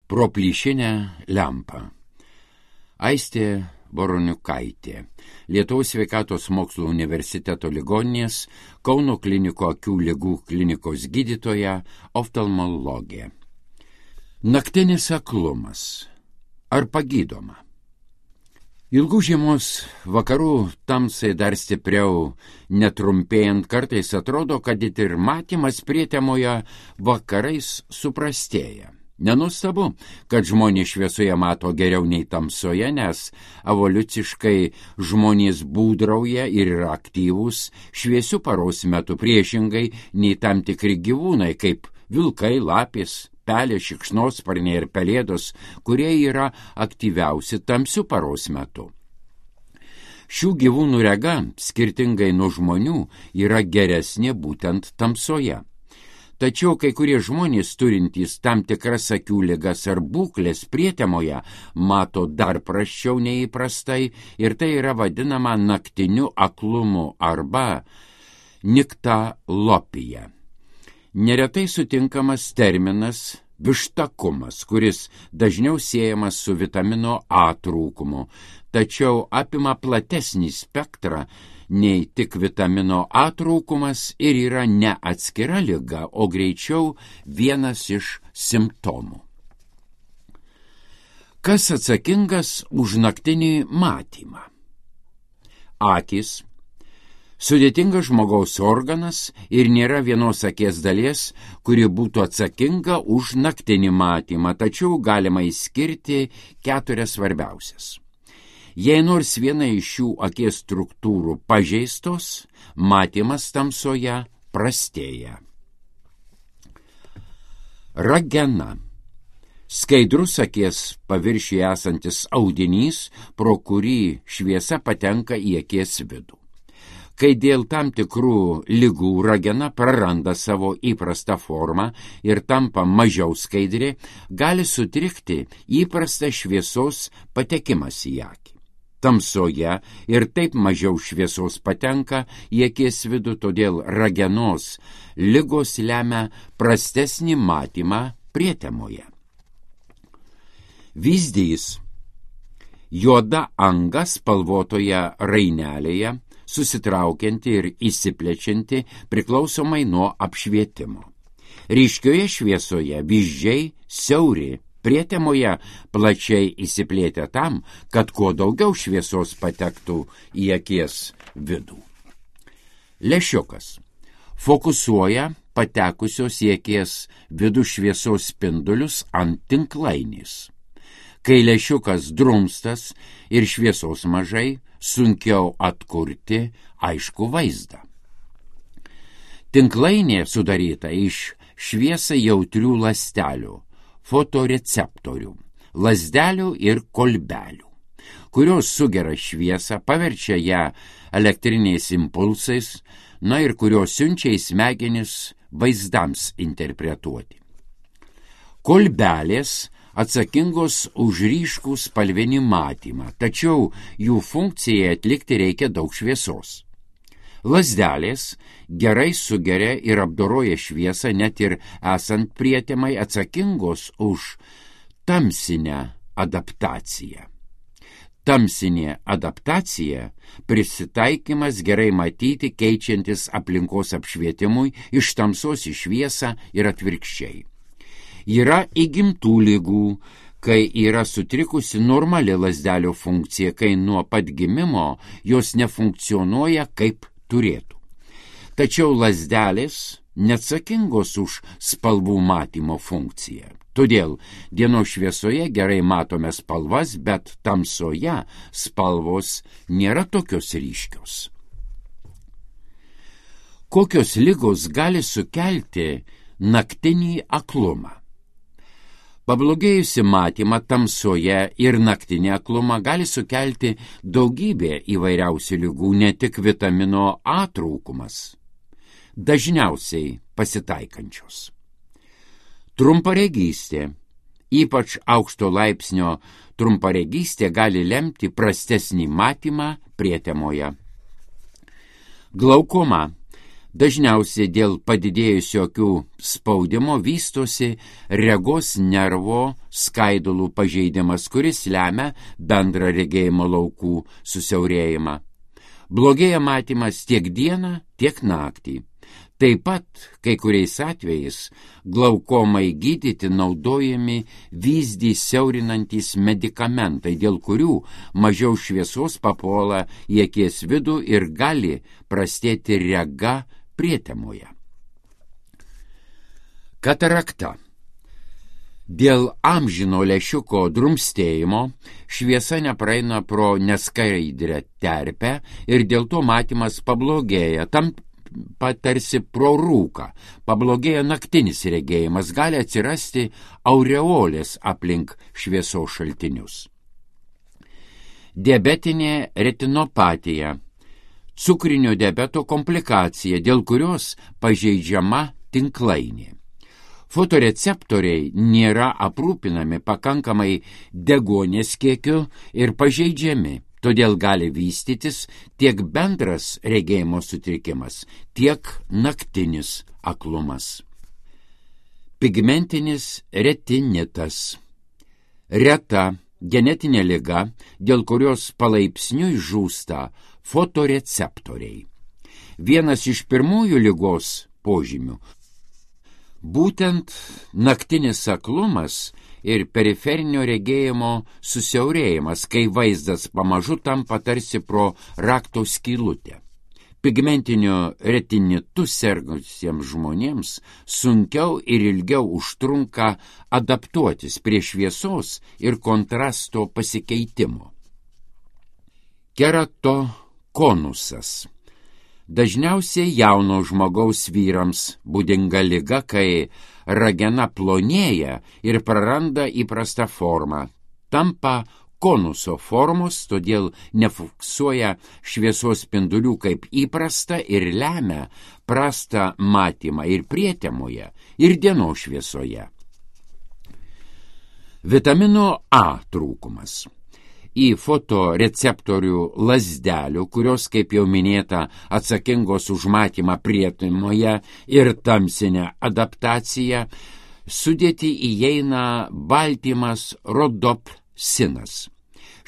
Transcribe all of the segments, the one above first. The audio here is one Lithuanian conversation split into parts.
Pro plyšinę lempą. Aistė Voroniukaitė, Lietuvos sveikatos mokslų universiteto ligoninės, Kauno klinikų akių ligų klinikos gydytoja, oftalmologė. Naktinis aklumas. Ar pagydoma? Ilgų žiemos vakarų tamsai dar stipriau netrumpėjant kartais atrodo, kad ir matymas prietemoje vakarais suprastėja. Nenustabu, kad žmonės šviesoje mato geriau nei tamsoje, nes evoliuciškai žmonės būdrauja ir yra aktyvūs šviesių paros metu priešingai nei tam tikri gyvūnai, kaip vilkai, lapės, pelės, šikšnosparniai ir pelėdos, kurie yra aktyviausi tamsių paros metu. Šių gyvūnų rega, skirtingai nuo žmonių, yra geresnė būtent tamsoje. Tačiau kai kurie žmonės turintys tam tikras akių ligas ar būklės prietemoje mato dar prasčiau nei įprastai ir tai yra vadinama naktiniu aklumu arba niktalopija. Neretai sutinkamas terminas vištakumas, kuris dažniau siejamas su vitamino A trūkumu, tačiau apima platesnį spektrą nei tik vitamino A trūkumas ir yra ne atskira liga, o greičiau vienas iš simptomų. Kas atsakingas už naktinį matymą? Akys. Sudėtingas žmogaus organas ir nėra vienos akies dalies, kuri būtų atsakinga už naktinį matymą, tačiau galima išskirti 4 svarbiausias. Jei nors viena iš šių akies struktūrų pažeistos, matymas tamsoje prastėja. Ragena. Skaidrus akies paviršiuje esantis audinys, pro kurį šviesa patenka į akies vidų. Kai dėl tam tikrų ligų ragena praranda savo įprastą formą ir tampa mažiau skaidri, gali sutrikti įprastas šviesos patekimas į akį. Tamsoje ir taip mažiau šviesos patenka į akies vidų, todėl ragenos ligos lemia prastesnį matymą prietemoje. Vyzdys. Juoda anga spalvotoje rainelėje, susitraukianti ir įsiplečianti priklausomai nuo apšvietimo. Ryškioje šviesoje vyzdžiai siauri, prietemoje plačiai įsiplėtę tam, kad kuo daugiau šviesos patektų į akies vidų. Lęšiukas. Fokusuoja patekusios į akies vidų šviesos spindulius ant tinklainės. Kai lęšiukas drumstas ir šviesos mažai, sunkiau atkurti aišku vaizdą. Tinklainė sudaryta iš šviesai jautrių ląstelių, fotoreceptorių, lazdelių ir kolbelių, kurios sugeria šviesą, paverčia ją elektriniais impulsais, ir kurios siunčia į smegenis vaizdams interpretuoti. Kolbelės atsakingos už ryškų spalvinį matymą, tačiau jų funkcijai atlikti reikia daug šviesos. Lazdelės gerai sugeria ir apdoroja šviesą net ir esant prietemai, atsakingos už tamsinę adaptaciją. Tamsinė adaptacija – prisitaikymas gerai matyti keičiantis aplinkos apšvietimui iš tamsos į šviesą ir atvirkščiai. Yra įgimtų ligų, kai yra sutrikusi normali lazdelių funkcija, kai nuo pat gimimo jos nefunkcionuoja kaip turėtų. Tačiau lazdelės neatsakingos už spalvų matymo funkciją. Todėl dienos šviesoje gerai matome spalvas, bet tamsoje spalvos nėra tokios ryškios. Kokios ligos gali sukelti naktinį aklumą? Pablogėjusi matymą tamsoje ir naktinį aklumą gali sukelti daugybė įvairiausių ligų, ne tik vitamino A trūkumas, dažniausiai pasitaikančios. Trumparegystė, ypač aukšto laipsnio trumparegystė, gali lemti prastesnį matymą prietemoje. Glaukoma, Dažniausiai dėl padidėjusio akių spaudimo vystosi regos nervo skaidulų pažeidimas, kuris lemia bendrą regėjimo laukų susiaurėjimą. Blogėja matymas tiek dieną, tiek naktį. Taip pat kai kuriais atvejais glaukomai gydyti naudojami vyzdį siaurinantys medikamentai, dėl kurių mažiau šviesos papuola į akies vidų ir gali prastėti rega prietemoje. Katarakta. Dėl amžino lęšiuko drumstėjimo šviesa nepraeina pro neskaidrę terpę ir dėl to matymas pablogėja. Tam patarsi pro rūką. Pablogėja naktinis regėjimas, gali atsirasti aureolės aplink šviesos šaltinius. Diabetinė retinopatija. Cukrinio diabeto komplikacija, dėl kurios pažeidžiama tinklainė. Fotoreceptoriai nėra aprūpinami pakankamai deguonies kiekiu ir pažeidžiami. Todėl gali vystytis tiek bendras regėjimo sutrikimas, tiek naktinis aklumas. Pigmentinis retinitas. Reta genetinė liga, dėl kurios palaipsniui žūsta fotoreceptoriai. Vienas iš pirmųjų ligos požymių būtent naktinis aklumas ir periferinio regėjimo susiaurėjimas, kai vaizdas pamažu tampa tarsi pro rakto skylutę. Pigmentiniu retinitu sergusiems žmonėms sunkiau ir ilgiau užtrunka adaptuotis prie šviesos ir kontrasto pasikeitimo. Keratokonusas. Dažniausiai jauno žmogaus vyrams būdinga liga, kai ragena plonėja ir praranda įprastą formą. Tampa konuso formos, todėl nefiksuoja šviesos spindulių kaip įprasta ir lemia prastą matymą ir prietemoje, ir dienos šviesoje. Vitamino A trūkumas. Į fotoreceptorių lazdelių, kurios, kaip jau minėta, atsakingos už matymą prietemoje ir tamsinę adaptaciją, sudėtį įeina baltymas rodopsinas.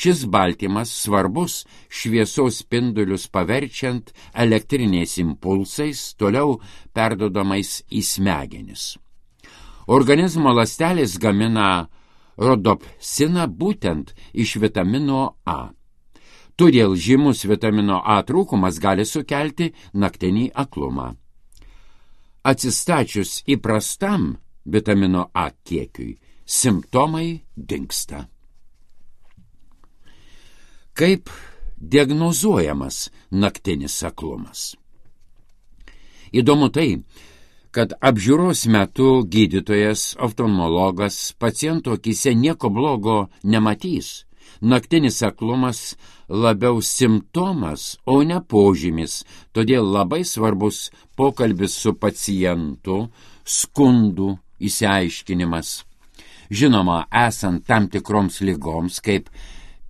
Šis baltymas svarbus šviesos spindulius paverčiant elektriniais impulsais, toliau perdodamais į smegenis. Organizmo ląstelės gamina rodopsiną būtent iš vitamino A. Todėl žymus vitamino A trūkumas gali sukelti naktinį aklumą. Atsistačius įprastam vitamino A kiekiui, simptomai dingsta. Kaip diagnozuojamas naktinis aklumas? Įdomu tai, kad apžiūros metu gydytojas, oftalmologas paciento akyse nieko blogo nematys. Naktinis aklumas labiau simptomas, o ne požymis, todėl labai svarbus pokalbis su pacientu, skundų išsiaiškinimas. Žinoma, esant tam tikroms ligoms, kaip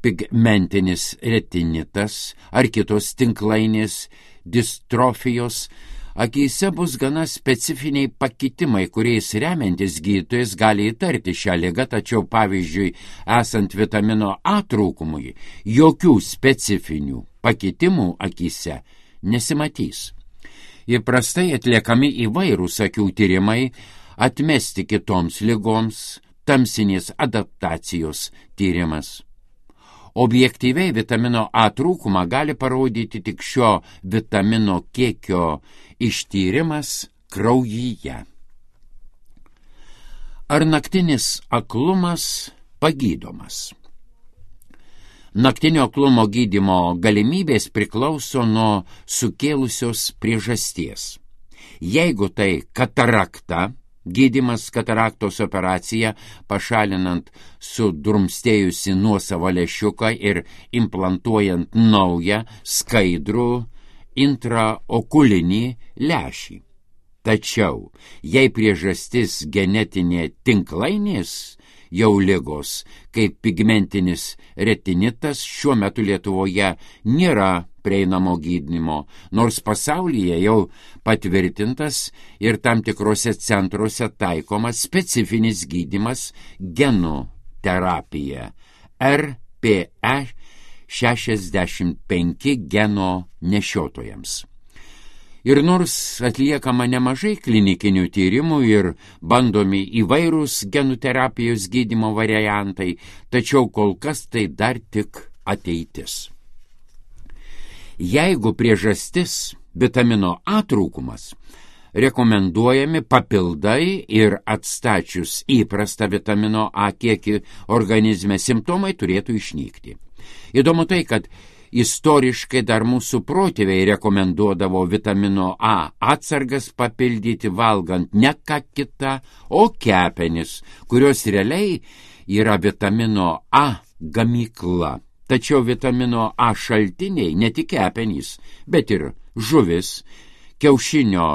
pigmentinis retinitas ar kitos tinklainės distrofijos, akyse bus gana specifiniai pakitimai, kuriais remiantis gydytojas gali įtarti šią ligą, tačiau pavyzdžiui, esant vitamino A trūkumui, jokių specifinių pakitimų akyse nesimatys. Įprastai atliekami įvairūs akių tyrimai, atmesti kitoms ligoms, tamsinės adaptacijos tyrimas. Objektyviai vitamino A trūkumą gali parodyti tik šio vitamino kiekio ištyrimas kraujyje. Ar naktinis aklumas pagydomas? Naktinio aklumo gydymo galimybės priklauso nuo sukėlusios priežasties. Jeigu tai katarakta, gydymas kataraktos operacija, pašalinant sudrumstėjusi nuosavą lęšiuką ir implantuojant naują skaidrų intraokulinį lęšį. Tačiau, jei priežastis genetinė tinklainės jau ligos, kaip pigmentinis retinitas, šiuo metu Lietuvoje nėra prieinamo gydymo, nors pasaulyje jau patvirtintas ir tam tikrose centruose taikomas specifinis gydymas genų terapija RPE 65 geno nešiotojams. Ir nors atliekama nemažai klinikinių tyrimų ir bandomi įvairūs genų terapijos gydymo variantai, tačiau kol kas tai dar tik ateitis. Jeigu priežastis vitamino A trūkumas, rekomenduojami papildai ir atstačius įprastą vitamino A kiekį organizme simptomai turėtų išnykti. Įdomu tai, kad istoriškai dar mūsų protėviai rekomenduodavo vitamino A atsargas papildyti valgant ne ką kitą, o kepenis, kurios realiai yra vitamino A gamykla. Tačiau vitamino A šaltiniai ne tik kepenys, bet ir žuvis, kiaušinio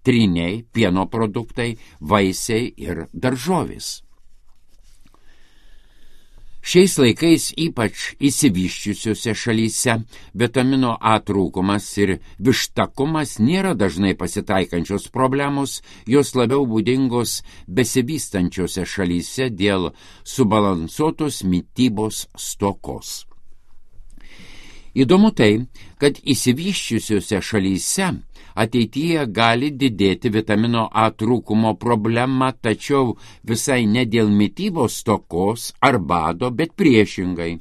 tryniai, pieno produktai, vaisiai ir daržovės. Šiais laikais ypač išsivysčiusiuose šalyse vitamino A trūkumas ir vištakumas nėra dažnai pasitaikančios problemos, jos labiau būdingos besivystančiose šalyse dėl subalansuotos mitybos stokos. Įdomu tai, kad išsivysčiusiuose šalyse ateityje gali didėti vitamino A trūkumo problema, tačiau visai ne dėl mitybos stokos ar bado, bet priešingai.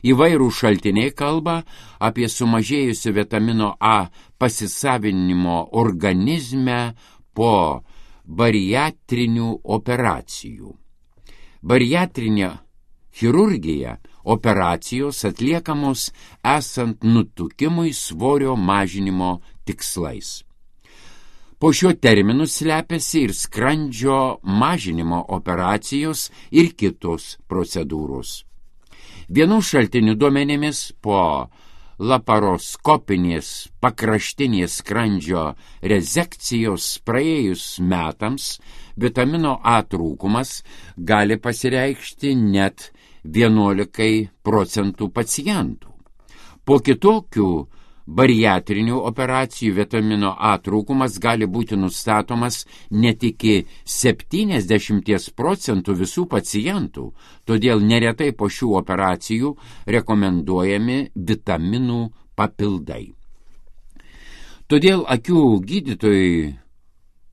Įvairų šaltiniai kalba apie sumažėjusių vitamino A pasisavinimo organizme po bariatrinių operacijų. Bariatrinė chirurgija operacijos atliekamos esant nutukimui svorio mažinimo tikslais. Po šiuo terminu slepiasi ir skrandžio mažinimo operacijos ir kitos procedūros. Vienų šaltinių duomenimis po laparoskopinės pakraštinės skrandžio rezekcijos praėjus metams vitamino A trūkumas gali pasireikšti net 11% pacientų. Po kitokių bariatrinių operacijų vitamino A trūkumas gali būti nustatomas net iki 70% visų pacientų, todėl neretai po šių operacijų rekomenduojami vitaminų papildai. Todėl akių gydytojui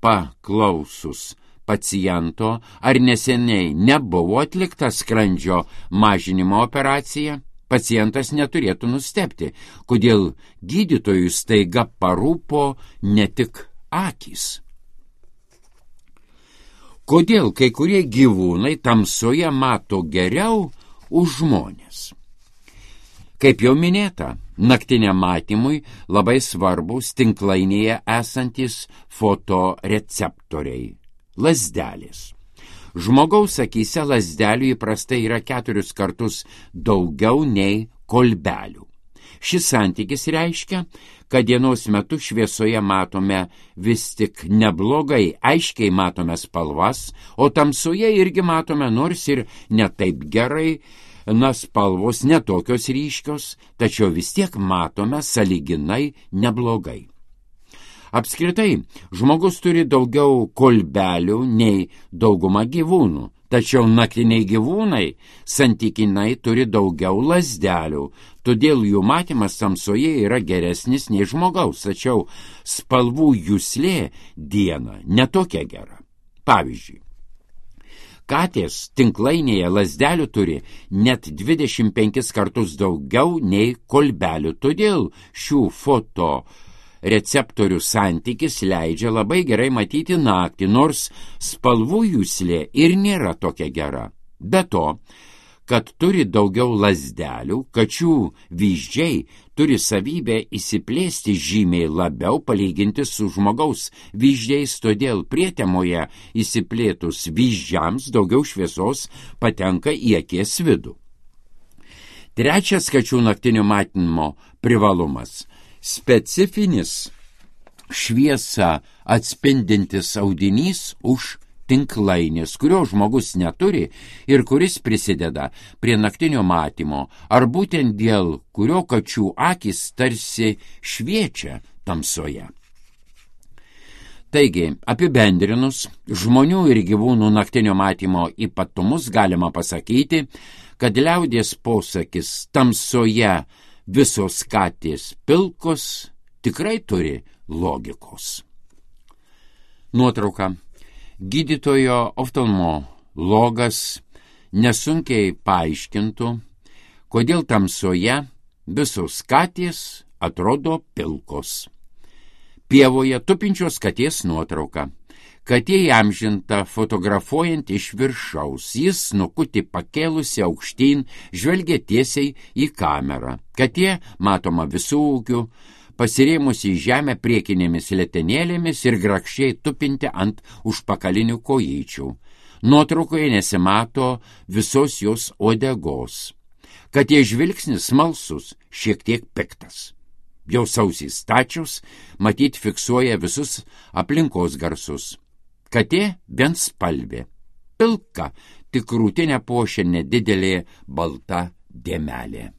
paklausus paciento, ar neseniai nebuvo atlikta skrandžio mažinimo operacija, pacientas neturėtų nustebti, kodėl gydytojui staiga parūpo ne tik akys. Kodėl kai kurie gyvūnai tamsoje mato geriau už žmones? Kaip jau minėta, naktiniam matymui labai svarbus tinklainėje esantis fotoreceptoriai. Lazdelės. Žmogaus akyse lazdelių įprastai yra 4 kartus daugiau nei kolbelių. Šis santykis reiškia, kad dienos metu šviesoje matome vis tik neblogai, aiškiai matome spalvas, o tamsoje irgi matome nors ir ne taip gerai, spalvos netokios ryškios, tačiau vis tiek matome sąlyginai neblogai. Apskritai, žmogus turi daugiau kolbelių nei dauguma gyvūnų, tačiau naktiniai gyvūnai santykinai turi daugiau lazdelių, todėl jų matymas tamsoje yra geresnis nei žmogaus, tačiau spalvų juslė dieną netokia gera. Pavyzdžiui, katės tinklainėje lazdelių turi net 25 kartus daugiau nei kolbelių, todėl šių receptorių santykis leidžia labai gerai matyti naktį, nors spalvų juslė ir nėra tokia gera. Be to, kad turi daugiau lazdelių, kačių vyzdžiai turi savybę įsiplėsti žymiai labiau palyginti su žmogaus vyzdžiais, todėl prietemoje įsiplėtus vyzdžiams daugiau šviesos patenka į akies vidų. Trečias kačių naktinio matymo privalumas – specifinis šviesą atspindintis audinys už tinklainis, kurio žmogus neturi ir kuris prisideda prie naktinio matymo, ar būtent dėl kurio kačių akys tarsi šviečia tamsoje. Taigi, apibendrinus, žmonių ir gyvūnų naktinio matymo ypatumus galima pasakyti, kad liaudies posakis tamsoje visos katės pilkos tikrai turi logikos. Nuotrauka. Gydytojo oftalmologas nesunkiai paaiškintų, kodėl tamsoje visos katės atrodo pilkos. Pievoje tupinčios katės nuotrauka. Katė įamžinta fotografuojant iš viršaus. Jis snukutį pakėlusi aukštyn, žvelgia tiesiai į kamerą. Katė matoma visų ūgių, pasirėmusi į žemę priekinėmis letenėlėmis ir grakščiai tupinti ant užpakalinių kojyčių. Nuotraukoje nesimato visos jos uodegos. Katė žvilgsnis smalsus, šiek tiek piktas. Jos ausys stačios, matyt fiksuoja visus aplinkos garsus. Katė vienspalvė, pilka, tik krūtinę puošia nedidelė balta dėmelė.